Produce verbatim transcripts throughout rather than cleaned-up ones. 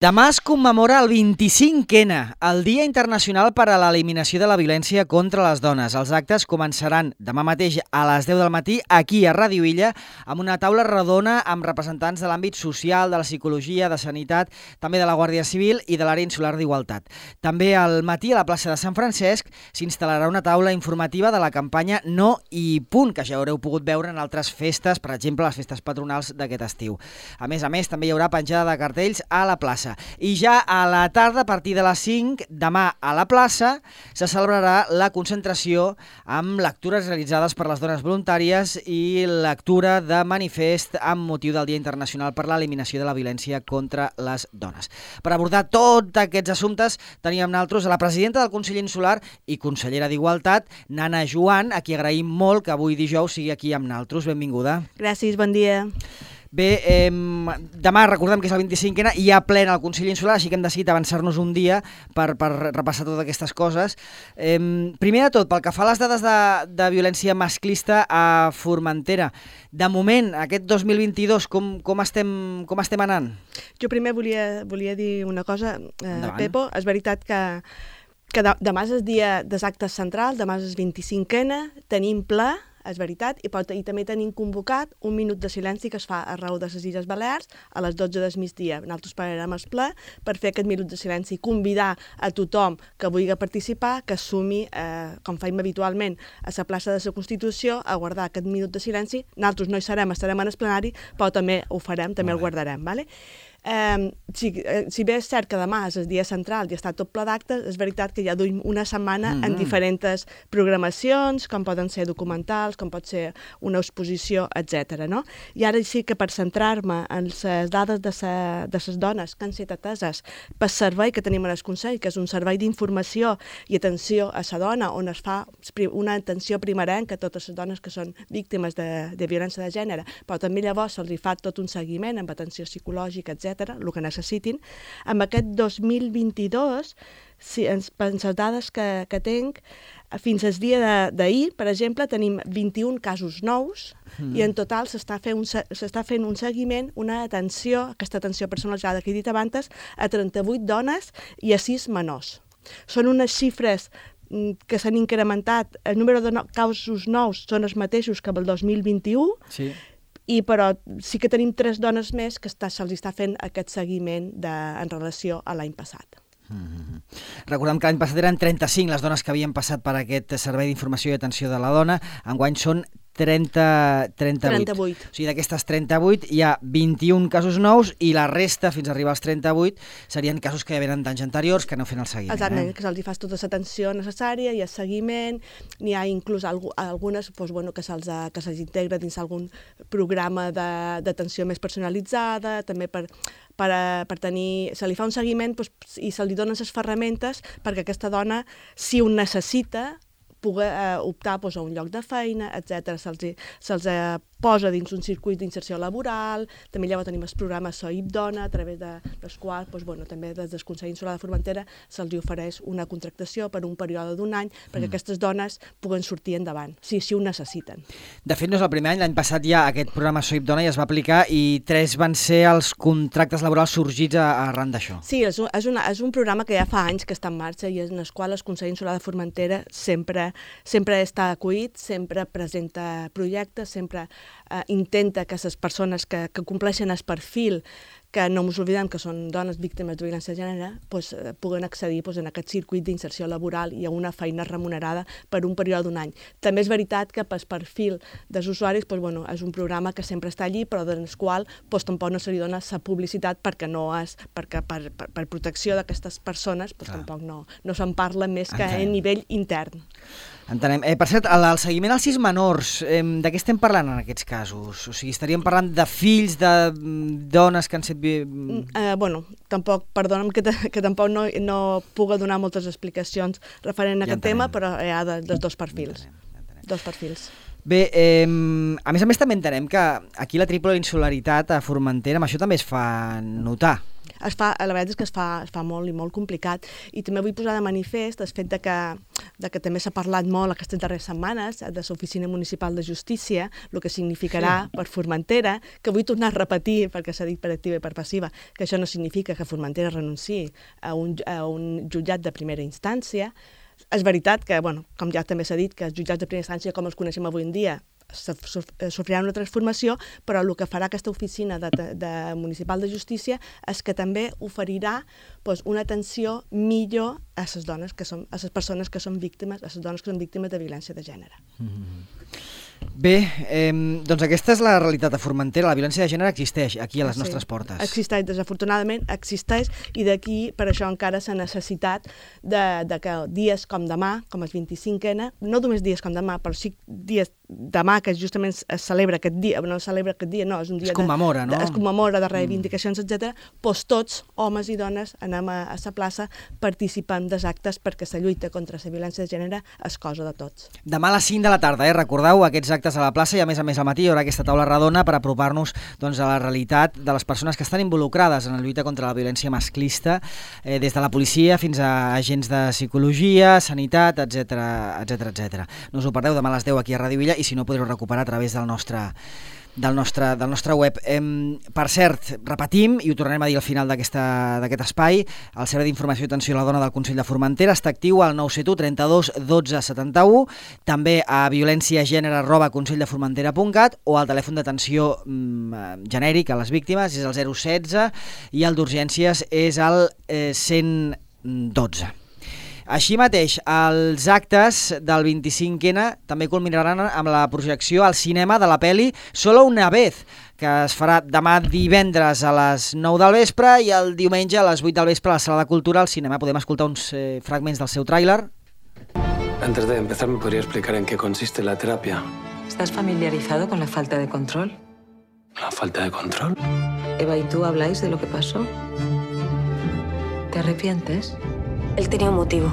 Demà es commemora el vint-i-cinc ena, el Dia Internacional per a l'Eliminació de la Violència contra les Dones. Els actes començaran demà mateix a les deu del matí aquí a Ràdio Illa amb una taula redona amb representants de l'àmbit social, de la psicologia, de sanitat, també de la Guàrdia Civil i de l'Àrea Insular d'Igualtat. També al matí a la plaça de Sant Francesc s'instal·larà una taula informativa de la campanya No i Punt, que ja haureu pogut veure en altres festes, per exemple les festes patronals d'aquest estiu. A més a més, també hi haurà penjada de cartells a la plaça. I ja a la tarda, a partir de les cinc, demà a la plaça, se celebrarà la concentració amb lectures realitzades per les dones voluntàries i lectura de manifest amb motiu del Dia Internacional per l'Eliminació de la Violència contra les Dones. Per abordar tots aquests assumptes tenim amb nosaltres a la presidenta del Consell Insular i consellera d'Igualtat, Nana Joan, a qui agraïm molt que avui dijous sigui aquí amb nosaltres. Benvinguda. Gràcies, bon dia. Bé, eh, demà recordem que és el vint-i-cinc ena i hi ha ple al Consell Insular, així que hem decidit avançar-nos un dia per, per repassar totes aquestes coses. Eh, primer de tot, pel que fa a les dades de, de violència masclista a Formentera, de moment, aquest dos mil vint-i-dos, com, com, estem, com estem anant? Jo primer volia, volia dir una cosa, eh, Pepo. És veritat que, que demà és el dia dels actes centrals, demà és el vint-i-cinc ena, tenim ple, és veritat, i, pot, i també tenim convocat un minut de silenci que es fa arreu de les Illes Balears a les dotze del migdia. Nosaltres pararem el ple per fer aquest minut de silenci i convidar a tothom que vulgui participar, que assumi, eh, com faim habitualment, a la plaça de la Constitució, a guardar aquest minut de silenci. Nosaltres no hi serem, estarem en el plenari, però també ho farem, també el guardarem, ¿vale? Eh, si, eh, si bé és cert que demà és el dia central i està tot ple d'actes, és veritat que ja duim una setmana mm-hmm. en diferents programacions, com poden ser documentals, com pot ser una exposició, etcètera. No? I ara sí que per centrar-me en les dades de, sa, de les dones que han estat ateses pel servei que tenim en el Consell, que és un servei d'informació i atenció a la dona, on es fa una atenció primerenca a totes les dones que són víctimes de, de violència de gènere, però també llavors se'ls fa tot un seguiment amb atenció psicològica, etcètera, el que necessitin. Amb aquest dos mil vint-i-dos, si ens, per les dades que, que tinc, fins al dia d'ahir, per exemple, tenim vint-i-un casos nous mm. i en total s'està fent, fent un seguiment, una atenció, aquesta atenció personalitzada que he dit abans, a trenta-vuit dones i a sis menors. Són unes xifres que s'han incrementat, el número de no, casos nous són els mateixos que el dos mil vint-i-u, sí. I però sí que tenim tres dones més que se'ls està fent aquest seguiment de, en relació a l'any passat. Mm-hmm. Recordem que l'any passat eren trenta-cinc les dones que havien passat per aquest servei d'informació i atenció de la dona, enguany són trenta, trenta-vuit. trenta-vuit. O sigui, d'aquestes trenta-vuit hi ha vint-i-un casos nous i la resta, fins a arribar als trenta-vuit, serien casos que ja venen d'anys anteriors que no fan el seguiment. Exactament, eh? que se'ls fa tota l'atenció necessària i el seguiment, n'hi ha inclús algunes doncs, bueno, que se'ls que se'ls integra dins algun programa d'atenció més personalitzada, també per, per, per tenir... Se li fa un seguiment doncs, i se li donen les ferramentes perquè aquesta dona, si ho necessita, pugui eh, optar doncs, a un lloc de feina, etcètera. Se'ls se eh, posa dins un circuit d'inserció laboral, també llavors tenim el programa Soip Dona, a través de, dels quals doncs, bueno, també des del Consell Insular de Formentera se'ls ofereix una contractació per un període d'un any perquè mm. aquestes dones puguen sortir endavant, si així ho necessiten. De fet, no és el primer any, l'any passat ja aquest programa Soip Dona ja es va aplicar i tres van ser els contractes laborals sorgits arran d'això. Sí, és un, és, una, és un programa que ja fa anys que està en marxa i en el qual el Consell Insular de Formentera sempre sempre està acollit, sempre presenta projectes, sempre eh, intenta que les persones que, que compleixen el perfil, que no ens oblidem que són dones víctimes de violència de gènere, pues, eh, puguen accedir pues, en aquest circuit d'inserció laboral i a una feina remunerada per un període d'un any. També és veritat que pel perfil dels usuaris pues, bueno, és un programa que sempre està allí, però en el qual pues, tampoc no se li dona la publicitat perquè, no és, perquè per, per, per protecció d'aquestes persones pues, tampoc no, no se'n parla més que a nivell intern. Entenem. Eh, per cert, el, el seguiment als sis menors, eh, de què estem parlant en aquests casos? O sigui, estaríem parlant de fills de dones que han set... Eh, bueno, tampoc, perdona'm que, que tampoc no, no puc donar moltes explicacions referent a ja aquest entenem. Tema, però hi ha de, dels dos perfils. Ja entenem, ja entenem. Dos perfils. Bé, eh, a més a més també entenem que aquí la triple insularitat a Formentera, amb això també es fa notar. Es fa, la veritat és que es fa, es fa molt i molt complicat i també vull posar de manifest el fet de que de que també s'ha parlat molt aquestes darreres setmanes de l'Oficina Municipal de Justícia, el que significarà sí. per Formentera, que vull tornar a repetir, perquè s'ha dit per activa i per passiva, que això no significa que Formentera renunciï a un, a un jutjat de primera instància. És veritat que, bueno, com ja també s'ha dit, que els jutjats de primera instància, com els coneixem avui en dia, sofriran una transformació, però el que farà aquesta oficina de, de municipal de justícia és que també oferirà doncs, una atenció millor a les dones que són, a les persones que són víctimes, a les dones que són víctimes de violència de gènere. Mm-hmm. Bé, eh, doncs aquesta és la realitat de Formentera. La violència de gènere existeix aquí a les sí, nostres portes. Existeix, desafortunadament existeix, i d'aquí per això encara s'ha necessitat de, de que dies com demà, com el vint-i-cinc ena, no només dies com demà, però sí dies demà, que justament es celebra aquest dia, no es celebra aquest dia, no, és un dia... Es commemora, de, no? De, es commemora de reivindicacions, etcètera. Doncs tots, homes i dones, anem a, a la plaça, participant dels actes perquè la lluita contra la violència de gènere és cosa de tots. Demà a les cinc de la tarda, eh? Recordeu aquests actes a la plaça i a més a més al matí hi haurà aquesta taula redona per apropar-nos doncs, a la realitat de les persones que estan involucrades en la lluita contra la violència masclista, eh, des de la policia fins a agents de psicologia, sanitat, etcètera, etcètera, etcètera. No us ho perdeu, demà a les deu aquí a Ràdio Villa, i si no podreu recuperar a través del nostre del nostre, del nostre web. Eh, per cert, repetim, i ho tornarem a dir al final d'aquest espai, el Servei d'Informació i Atenció a la Dona del Consell de Formentera està actiu al nou set u trenta-dos dotze setanta-u, també a violenciagènere arroba conselldeformentera punt cat o al telèfon d'atenció mm, genèric a les víctimes és el zero setze i el d'urgències és el eh, cent dotze. Així mateix, els actes del vint-i-cinc ena també culminaran amb la projecció al cinema de la pel·li Solo una vez, que es farà demà divendres a les nou del vespre i el diumenge a les vuit del vespre a la Sala de Cultura al cinema. Podem escoltar uns eh, fragments del seu tràiler. Antes de empezar, ¿me podría explicar en qué consiste la terapia? ¿Estás familiarizado con la falta de control? ¿La falta de control? Eva y tú habláis de lo que pasó. ¿Te arrepientes? Él tenía un motivo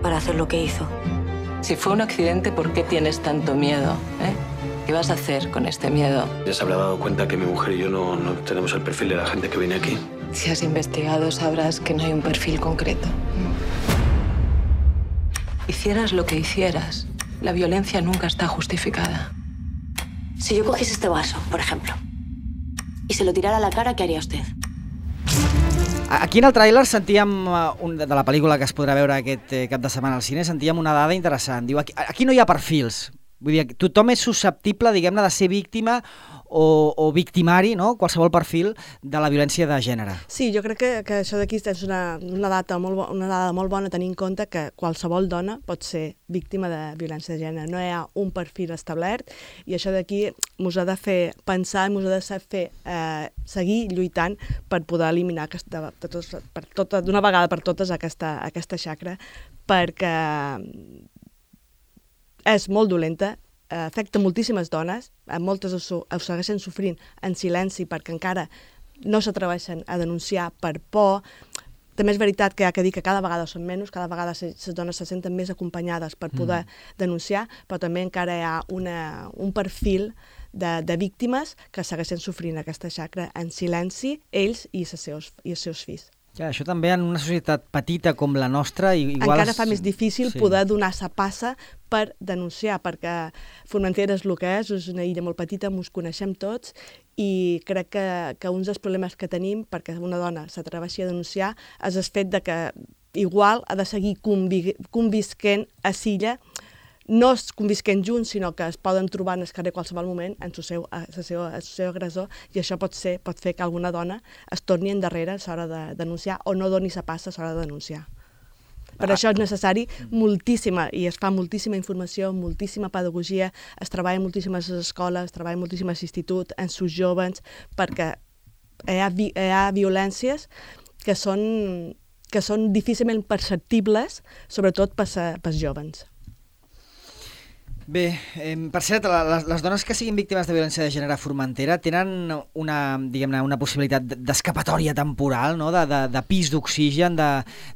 para hacer lo que hizo. Si fue un accidente, ¿por qué tienes tanto miedo? ¿Eh? ¿Qué vas a hacer con este miedo? Ya se habrá dado cuenta que mi mujer y yo no, no tenemos el perfil de la gente que viene aquí. Si has investigado, sabrás que no hay un perfil concreto. Hicieras lo que hicieras, la violencia nunca está justificada. Si yo cogiese este vaso, por ejemplo, y se lo tirara a la cara, ¿qué haría usted? Aquí en el tràiler sentíem, un, de la pel·lícula que es podrà veure aquest cap de setmana al cine, sentíem una dada interessant. Diu, aquí, aquí no hi ha perfils. Vull dir, tothom és susceptible, diguem-ne, de ser víctima o, o victimari, no? Qualsevol perfil de la violència de gènere. Sí, jo crec que, que això d'aquí és una, una, data molt bo, una dada molt bona, tenint en compte que qualsevol dona pot ser víctima de violència de gènere. No hi ha un perfil establert i això d'aquí mos ha de fer pensar, mos ha de fer eh, seguir lluitant per poder eliminar aquesta, de tots, per tota, d'una vegada per totes aquesta, aquesta xacra, perquè és molt dolenta, afecta moltíssimes dones, moltes ho, ho segueixen sofrint en silenci perquè encara no s'atreveixen a denunciar per por. També és veritat que hi ha que dir que cada vegada són menys, cada vegada les dones se senten més acompanyades per poder mm. denunciar, però també encara hi ha una, un perfil de, de víctimes que segueixen sofrint aquesta xacra en silenci, ells i els seus, i els seus fills. Ja, això també en una societat petita com la nostra... Igual encara es... fa més difícil sí. poder donar sa passa per denunciar, perquè Formentera és el que és, és una illa molt petita, ens coneixem tots, i crec que, que un dels problemes que tenim perquè una dona s'atreveixi a denunciar és el fet de que igual ha de seguir convi convisquent a l'illa, no es convisquent junts, sinó que es poden trobar en el carrer qualsevol moment en el seu, seu, seu agressor, i això pot, ser, pot fer que alguna dona es torni endarrere a l'hora de denunciar o no doni sa passa a l'hora de denunciar. Per ah. això és necessari moltíssima, i es fa moltíssima informació, moltíssima pedagogia, es treballa moltíssimes escoles, es treballa moltíssimes instituts, en sus joves, perquè hi ha, vi hi ha violències que són, que són difícilment perceptibles, sobretot pels joves. Bé, eh, per cert, les, les dones que siguin víctimes de violència de gènere a Formentera tenen una, diguem-ne, una possibilitat d'escapatòria temporal, no? de, de, de pis d'oxigen, de,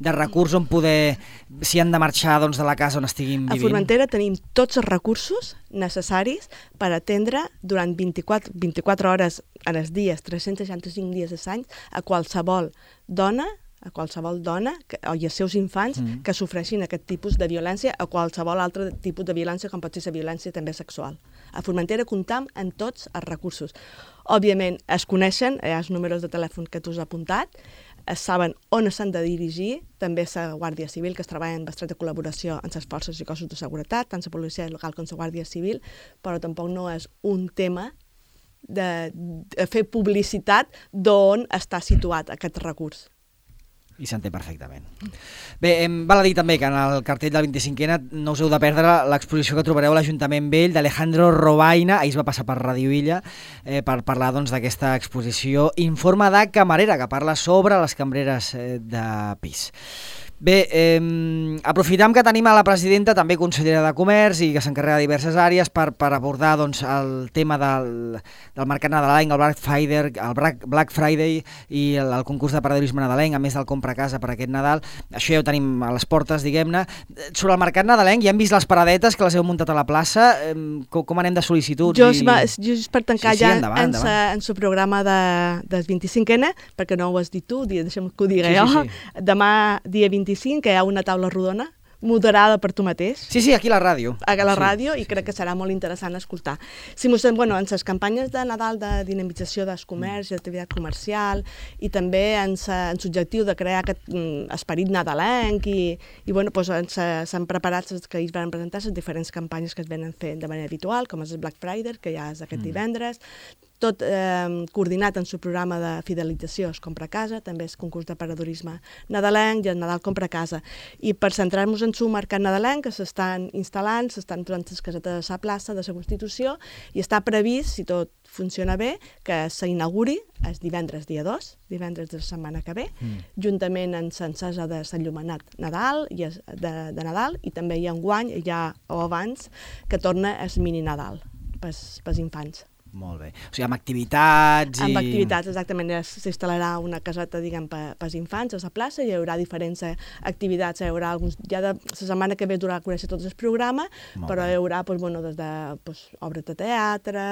de recurs on poder, si han de marxar doncs, de la casa on estiguin vivint. A Formentera tenim tots els recursos necessaris per atendre durant vint-i-quatre, vint-i-quatre hores en els dies, tres-cents seixanta-cinc dies a l'any, a qualsevol dona a qualsevol dona que, o i als seus infants mm. que sofreixin aquest tipus de violència o qualsevol altre tipus de violència, com pot ser la violència també sexual. A Formentera comptam en tots els recursos. Òbviament, es coneixen, hi ha els números de telèfon que tu has apuntat, es saben on s'han de dirigir, també la Guàrdia Civil, que es treballa en estreta col·laboració amb les forces i cossos de seguretat, tant la policia local com la Guàrdia Civil, però tampoc no és un tema de, de fer publicitat d'on està situat aquest recurs. I s'entén perfectament. Bé, val a dir també que en el cartell del vint-i-cinquè no us heu de perdre l'exposició que trobareu a l'Ajuntament Vell d'Alejandro Robaina, ahir es va passar per Radio Illa eh, per parlar doncs, d'aquesta exposició Informe de camarera, que parla sobre les cambreres eh, de pis. Bé, eh, aprofitam que tenim a la presidenta, també consellera de Comerç i que s'encarrega de diverses àrees per, per abordar doncs, el tema del, del mercat nadalenc, el Black Friday, el Black Friday i el, el concurs de paradorisme nadalenc, a més del compra a casa per aquest Nadal. Això ja ho tenim a les portes, diguem-ne. Sobre el mercat nadalenc, ja hem vist les paradetes que les heu muntat a la plaça. Eh, com, com anem de sol·licituds? Jo, I... just per tancar sí, sí, ja endavant, en, endavant. en su programa de, del vint-i-cinquè, perquè no ho has dit tu, deixa'm que ho digui sí, jo. Sí, sí. Demà, dia vint-i-cinc, que hi ha una taula rodona moderada per tu mateix. Sí, sí, aquí a la ràdio. A la ràdio, sí, i sí, crec sí. que serà molt interessant escoltar. Si mostrem, bueno, en les campanyes de Nadal de dinamització del comerç i d'activitat comercial, i també en l'objectiu de crear aquest mm, esperit nadalenc, i, i bueno, doncs, s'han preparat les que ells van presentar les diferents campanyes que es venen fent de manera habitual, com és el Black Friday, que ja és aquest mm. divendres, tot eh, coordinat en el programa de fidelització es compra a casa, també és concurs de paradorisme nadalenc i el Nadal compra a casa. I per centrar-nos en el mercat nadalenc, que s'estan instal·lant, s'estan posant les casetes a la plaça de la Constitució, i està previst, si tot funciona bé, que s'inauguri el divendres dia dos, divendres de la setmana que ve, mm. juntament amb l'encesa de l'enllumenat Nadal i de, de Nadal, i també hi ha enguany, ja o abans, que torna el mini Nadal pels, pels infants. Molt bé. O sigui, amb activitats i... Amb activitats, exactament. S'instal·larà una caseta, diguem, pels infants a la plaça, hi haurà diferents activitats, hi haurà alguns... Ja de la setmana que ve durà a conèixer tot el programa, Molt però bé. hi haurà, doncs, bueno, des de doncs, obres de teatre,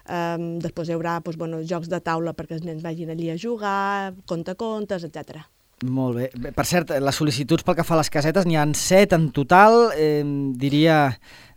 um, després hi haurà doncs, bueno, jocs de taula perquè els nens vagin allí a jugar, contacontes, etcètera. Molt bé. Per cert, les sol·licituds pel que fa a les casetes, n'hi ha set en total, eh, diria...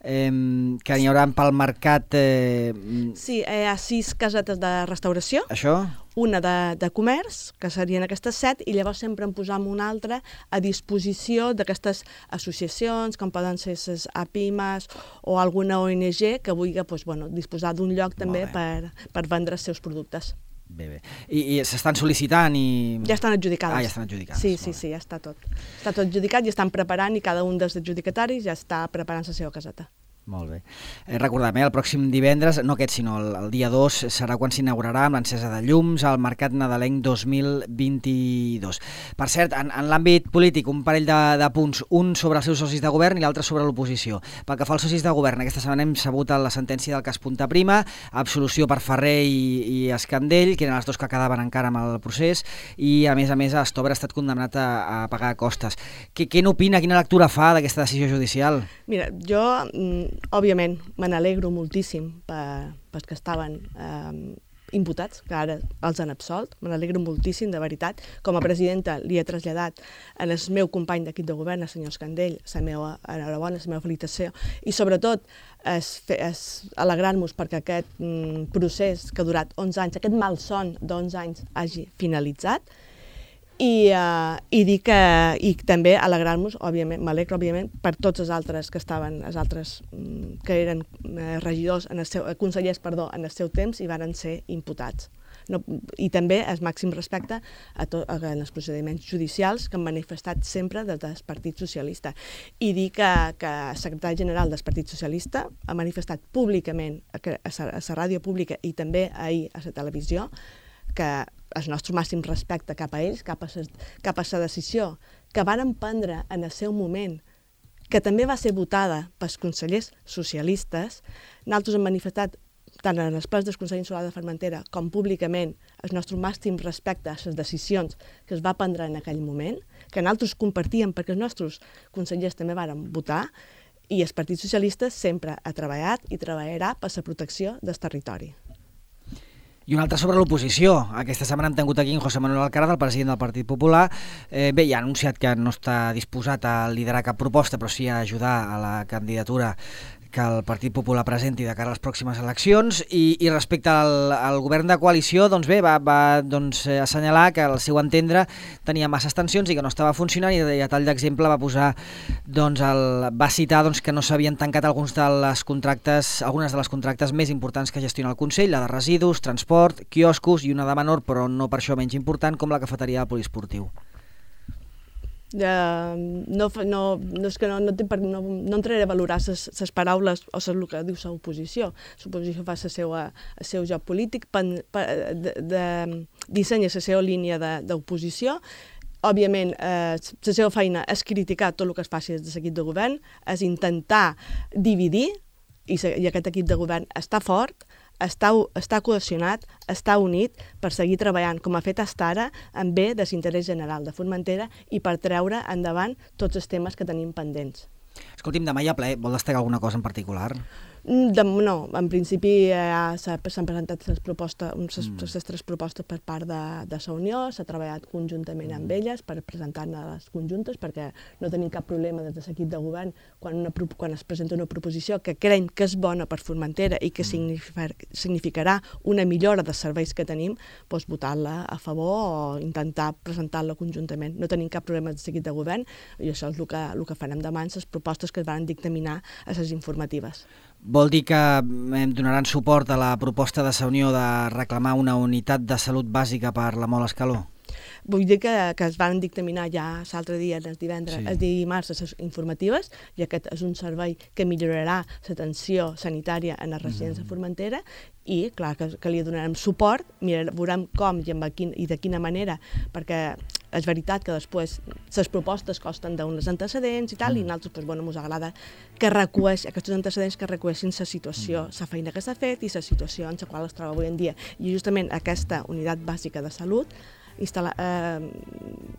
Eh, que n'hi haurà pel mercat... Eh... Sí, hi ha sis casetes de restauració, Això? una de, de comerç, que serien aquestes set, i llavors sempre en posam una altra a disposició d'aquestes associacions, com poden ser les APIMAs o alguna O N G que vulgui doncs, bueno, disposar d'un lloc també per, per vendre els seus productes. Bé, bé. I, i s'estan sol·licitant i... Ja estan adjudicades. Ah, ja estan adjudicades. Sí, sí, sí, ja està tot. Està tot adjudicat i estan preparant, i cada un dels adjudicataris ja està preparant la seva caseta. Molt bé. Eh, recordem, eh, el pròxim divendres, no aquest, sinó el, el dia dos, serà quan s'inaugurarà amb l'encesa de llums al Mercat Nadalenc dos mil vint-i-dos. Per cert, en, en l'àmbit polític, un parell de, de punts, un sobre els seus socis de govern i l'altre sobre l'oposició. Pel que fa als socis de govern, aquesta setmana hem sabut la sentència del cas Punta Prima, absolució per Ferrer i, i Escandell, que eren els dos que quedaven encara amb el procés, i a més a més Stover ha estat condemnat a, a pagar costes. Què, què n'opina, quina lectura fa d'aquesta decisió judicial? Mira, jo... òbviament, me n'alegro moltíssim per, pels que estaven eh, imputats, que ara els han absolt. Me n'alegro moltíssim, de veritat. Com a presidenta li he traslladat al meu company d'equip de govern, el senyor Escandell, la meva enhorabona, la meva felicitació, i sobretot es, es alegrar-nos perquè aquest mm, procés que ha durat onze anys, aquest malson d'onze anys hagi finalitzat. I, uh, i dir que i també alegrar-nos, òbviament, m'alegro, òbviament, per tots els altres que estaven, els altres mm, que eren eh, regidors, en el seu, eh, consellers, perdó, en el seu temps i varen ser imputats. No, i també el màxim respecte a to, a, a els procediments judicials que han manifestat sempre des del Partit Socialista. I dir que, que el secretari general del Partit Socialista ha manifestat públicament a la ràdio pública i també ahir a la televisió que el nostre màxim respecte cap a ells, cap a la decisió que varen prendre en el seu moment, que també va ser votada pels consellers socialistes. Nosaltres hem manifestat tant en els plens del Consell Insular de Formentera com públicament el nostre màxim respecte a les decisions que es va prendre en aquell moment, que nosaltres compartíem perquè els nostres consellers també varen votar, i el Partit Socialista sempre ha treballat i treballarà per la protecció del territori. I un altre sobre l'oposició. Aquesta setmana hem tingut aquí en José Manuel Alcaraz, el president del Partit Popular. Eh, bé, ja ha anunciat que no està disposat a liderar cap proposta, però sí a ajudar a la candidatura que el Partit Popular presenti de cara a les pròximes eleccions. I, i respecte al, al govern de coalició, doncs bé, va, va doncs, assenyalar que al seu entendre tenia masses tensions i que no estava funcionant, i, i a tall d'exemple va posar, doncs, el, va citar doncs, que no s'havien tancat alguns de les contractes, algunes de les contractes més importants que gestiona el Consell, la de residus, transport, quioscos i una de menor, però no per això menys important, com la cafeteria del poliesportiu. Uh, no, no, no, és que no, no, no, no entraré a valorar les paraules o el que diu l'oposició. L'oposició fa el seu joc polític, de, de, dissenya la seva línia d'oposició. Òbviament, eh, la seva feina és criticar tot el que es faci des de l'equip de govern, és intentar dividir, i, i aquest equip de govern està fort, està, està cohesionat, està unit per seguir treballant, com ha fet fins ara, en bé de l'interès general de Formentera i per treure endavant tots els temes que tenim pendents. Escolti'm, demà hi ha ple. Vol destacar alguna cosa en particular? De, no, en principi eh, s'han presentat les, propostes, les, mm. les tres propostes per part de, de la Unió, s'ha treballat conjuntament amb elles per presentar-ne les conjuntes, perquè no tenim cap problema des de l'equip de govern quan, una, quan es presenta una proposició que creiem que és bona per Formentera i que mm. significar, significarà una millora dels serveis que tenim, doncs votar-la a favor o intentar presentar-la conjuntament. No tenim cap problema des de l'equip de govern i això és el que, el que farem demà en les propostes que es van dictaminar a les informatives. Vol dir que donaran suport a la proposta de la Unió de reclamar una unitat de salut bàsica per la Mola Escaló? Vull dir que, que es van dictaminar ja l'altre dia, el divendres, sí. el dimarts, les informatives, i aquest és un servei que millorarà l'atenció sanitària en les residències mm. de Formentera, i clar que, que li donarem suport, mirar, veurem com i, quin, i de quina manera, perquè és veritat que després les propostes costen d'uns antecedents i tal, mm. i nosaltres doncs, bueno, ens agrada que recueix, aquests antecedents que recueixin la situació, la mm. feina que s'ha fet i la situació en la qual es troba avui en dia. I justament aquesta unitat bàsica de salut, instal·la, eh,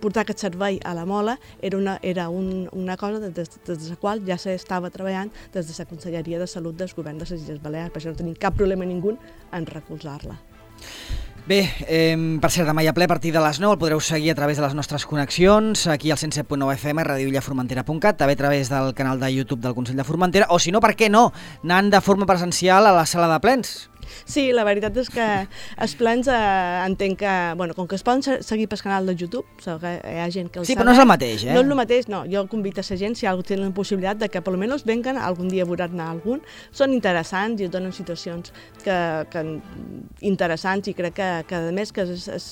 portar aquest servei a la Mola era una, era un, una cosa des, des, des de la qual ja s'estava treballant des de la Conselleria de Salut del Govern de les Illes Balears, per això no tenim cap problema ningú en recolzar-la. Bé, eh, per cert, demà hi ha ple a partir de les nou, el podreu seguir a través de les nostres connexions, aquí al cent set punt nou F M, radio illa formentera punt cat, també a través del canal de YouTube del Consell de Formentera, o si no, per què no, anant de forma presencial a la sala de plens. Sí, la veritat és que els plens eh, entenc que, bueno, com que es poden seguir pel canal de YouTube, so que hi ha gent que el Sí, sabe, però no és el mateix, eh? No és el mateix, no. Jo convido a la gent, si algú té la possibilitat de que per almenys venguen, algun dia veuran algun. Són interessants i es donen situacions que, que interessants i crec que, que a més que el, el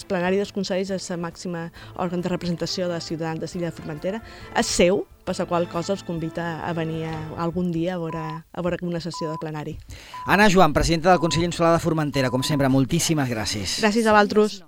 plenari dels consells és el màxim òrgan de representació de ciutadans de l'illa de Formentera, és seu, per la qual cosa els convida a venir a, algun dia a veure, a veure una sessió de plenari. Anna Joan, presidenta del Consell Insular de Formentera, com sempre, moltíssimes gràcies. Gràcies a vosaltres.